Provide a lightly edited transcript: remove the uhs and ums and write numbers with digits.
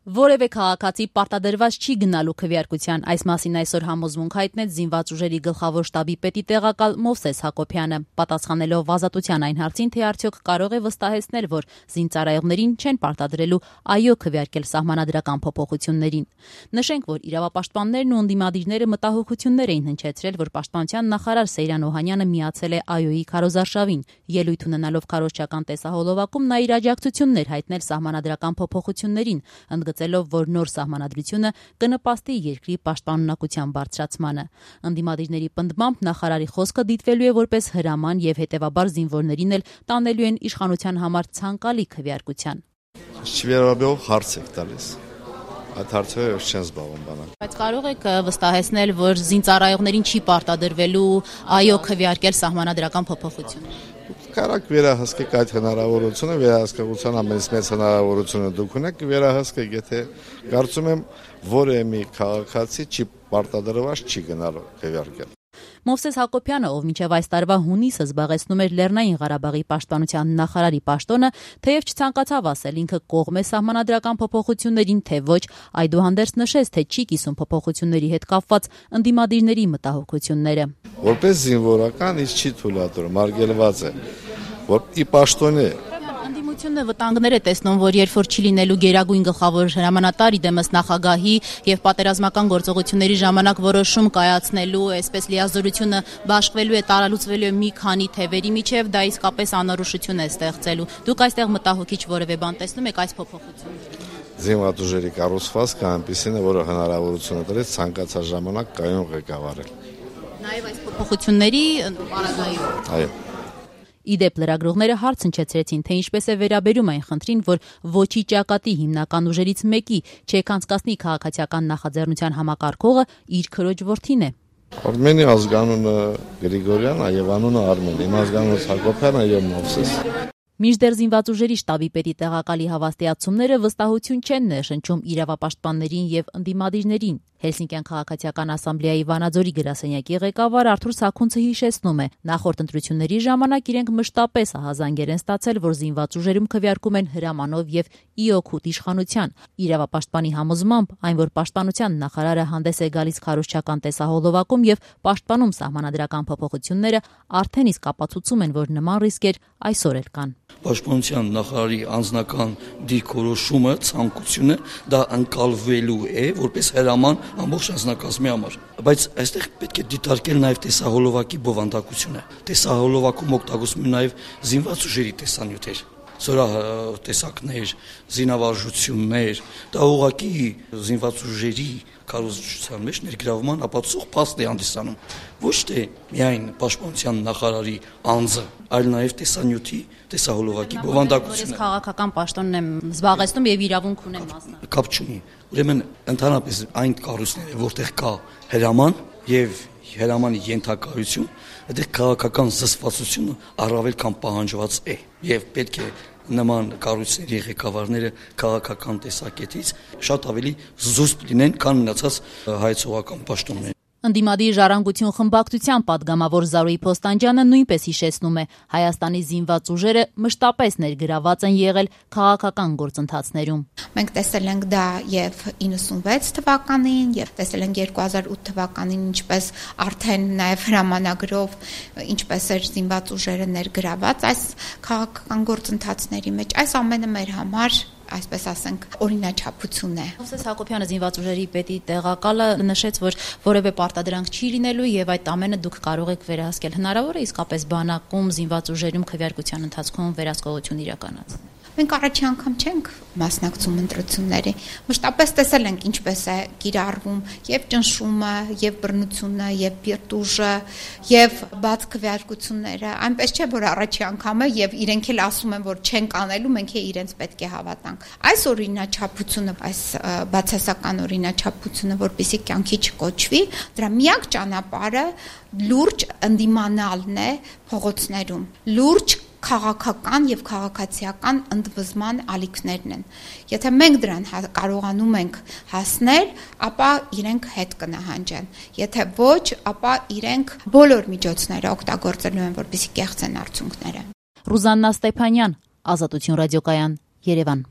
Որևէ քաղաքացի պարտադրված չի գնալու քվեարկության, այս մասին այսօր համոզմունք հայտնեց զինված ուժերի գլխավոր շտաբի պետի տեղակալ Մովսես Հակոբյանը, պատասխանելով ազատության այն հարցին, թե արդյոք կարող է վստահեցնել, որ զինծառայողներին չեն պարտադրելու այո քվեարկել սահմանադրական փոփոխություններին։ Նշենք, որ իրավապաշտպաններն ու ընդդիմադիրները մտահոգություններ էին հնչեցրել, որ պաշտպանության նախարար Սեյրան Օհանյանը միացել է ԱՅՈ-ի քարոզարշավին, ելույթ ունենալով քարոզչական տեսահոլովակում նա իր աջակցություններ հայտնել սահմանադրական փոփոխություններին, ընդգծելով, որ նոր սահմանադրությունը կնպաստի երկրի պաշտպանունակության բարձրացմանը։ Ընդդիմադիրների պնդմամբ նախարարի խոսքը դիտվելու է որպես հրաման եւ հետեւաբար զինվորներին էլ տանելու են իշխանության համար ցանկալի քվեարկության։ Չվերաբերող հարց եք տալիս։ Այդ հարցերը չեն զբաղվում բանալ։ Բայց կարող եք վստահեցնել, որ զինծառայողներին չի պարտադրվելու այո քվեարկել սահմանադրական փոփոխություն։ Կարակ վերահսկեք այդ հնարավորությունը, վերահսկողության ամենից մեծ հնարավորությունը դուք ունեք, վերահսկեք, եթե կարծում եմ որևէ մի քաղաքացի չի պարտադրված չի գնալու քվեարկել։ Մովսես Հակոբյանը, ով մինչև այս տարվա հունիսը զբաղեցնում էր Լեռնային Ղարաբաղի պաշտպանության նախարարի պաշտոնը, թեև չցանկացավ ասել ինքը կողմ է սահմանադրական փոփոխություններին, թե ոչ, այդուհանդերձ նշեց, թե չի կիսում փոփոխությունների հետ կապված ընդդիմադիրների մտահոգությունները։ Որպես զինվորական ինձ չի թույլատրում, արգելված է, որ ի պաշտոնե Ընդդիմությունը վտանգներ է տեսնում, որ երբ որ չի լինելու գերագույն գլխավոր հրամանատար իդեմս նախագահի եւ պատերազմական գործողությունների ժամանակ որոշում կայացնելու, այսպես լիազորությունը բաշխվելու է, տարալուծվելու է մի քանի թևերի միջև, դա իսկապես անորոշություն է ստեղծելու։ Դուք այստեղ մտահոգիչ որևէ բան տեսնում եք այս փոփոխությունից։ Զինված ուժերի կառուցվածքը այնպիսին է, որը հնարավորություն է տալիս ցանկացած ժամանակ կայուն ղեկավարել։ Նաեւ այս փոփոխությունների պարագայում։ Այո։ Իդեպ լրագրողները հարց հնչեցրեցին, թե ինչպես է վերաբերում այն խնդրին, որ ոչի ճակատի հիմնական ուժերից մեկի չեկանցկացնի քաղաքացիական նախաձեռնության համակարգողը իր քրոջ որդին է։ Արմենի ազգանունը Գրիգորյան, այո անունը Արմեն, իմ ազգանունը Հակոբյան, այո Մովսես։ Մինչդեռ զինված ուժերի շտաբի պետի տեղակալի հավաստիացումները վստահություն չեն ներշնչում իրավապաշտպաններին եւ ընդդիմադիրներին։ Հելսինկյան քաղաքացիական ասամբլեայի Վանաձորի գրասենյակի ղեկավար Արթուր Սաքունցը հիշեցնում է, նախորդ ընտրությունների ժամանակ իրենք մշտապես ահազանգեր են ստացել, որ զինված ուժերում քվեարկում են հրամանով եւ ի օգուտ իշխանության։ Իրավապաշտպանի համոզմամբ, այն որ պաշտպանության նախարարը հանդես է գալիս քարոզչական տեսահոլովակում եւ պաշտպանում սահմանադրական փոփոխությունները, արդեն իսկ ապացուցում են, որ նման ռիսկեր այսօր էլ կան։ Պաշտպանության նախարարի անձնական դիրքորոշումը, ցանկությունը դա ընկալվելու է որպես հրաման ամբողջ անձնակազմի համար, բայց այստեղ պետք է դիտարկել նաև տեսահոլովակի բովանդակությունը։ Տեսահոլովակում օգտագործվում են նաև զինված ուժերի տեսանյութեր, տեսակներ, զինավարժություններ, դա ուղղակի զինված ուժերի քարոզչության մեջ ներգրավման ապացուցող փաստ է հանդիսանում։ Ոչ թե միայն պաշտպանության նախարարի անձը, այլ նաև տեսանյութի, տեսահոլովակի բովանդակությունը։ Ես քաղաքական պաշտոնն եմ զբաղեցնում եւ իրավունք ունեմ մասնակցել։ Կապ չունի։ Ուրեմն ընդհանրապես այն կառույցները, որտեղ կա հրաման եւ հրամանի ենթակայություն, այդտեղ քաղաքական զսպվածությունը առավել քան պահանջված է եւ պետք է նման կառույցների ղեկավարները քաղաքական տեսակետից շատ ավելի զուսպ լինեն, քան մնացած հայեցողական պաշտոնները։ Ընդդիմադիր ժառանգություն խմբակցության падգամավոր Զարուհի Փոստանջյանը նույնպես հիշեցնում է, Հայաստանի զինված ուժերը մշտապես ներգրաված են եղել քաղաքական գործընթացներում։ Մենք տեսել ենք դա եւ 96 թվականին, եւ տեսել ենք 2008 թվականին, ինչպես արդեն նաեւ հրամանագրով ինչպես էր զինված ուժերը ներգրաված այս քաղաքական գործընթացների մեջ։ Այս ամենը մեր համար այսպես ասենք օրինաչափություն է։ Մովսես Հակոբյանը զինված ուժերի պետի տեղակալը նշեց, որ որևէ պարտադրանք չի լինելու եւ այդ ամենը դուք կարող եք վերահսկել։ Հնարավոր է իսկապես բանակում զինված ուժերում քվեարկության ընթացքում վերահսկողություն իրականացնել։ Մենք առաջի անգամ չենք մասնակցում ընտրությունների։ Մշտապես տեսել ենք ինչպես է կիրառվում եւ ճնշումը, եւ բռնությունը, եւ պիրտուժը, եւ բաց քվեարկությունները։ Այնպես չէ, որ առաջի անգամ է եւ իրենք էլ ասում են, որ չեն կանելու, մենք է իրենց պետք է հավատանք։ Այս օրինաչափությունը, այս բացասական օրինաչափությունը, որպեսզի կյանքի չկոչվի, դրա միակ ճանապարհը լուրջ ընդդիմանալն է փողոցներում։ Լուրջ քաղաքական եւ քաղաքացիական ընդվզման ալիքներն են։ Եթե մենք դրան կարողանում ենք հասնել, ապա իրենք հետ կնահանջեն։ Եթե ոչ, ապա իրենք բոլոր միջոցները օգտագործելու են, որպեսզի կեղծեն արդյունքները։ Ռուզաննա Ստեփանյան, Ազատություն ռադիոկայան, Երևան։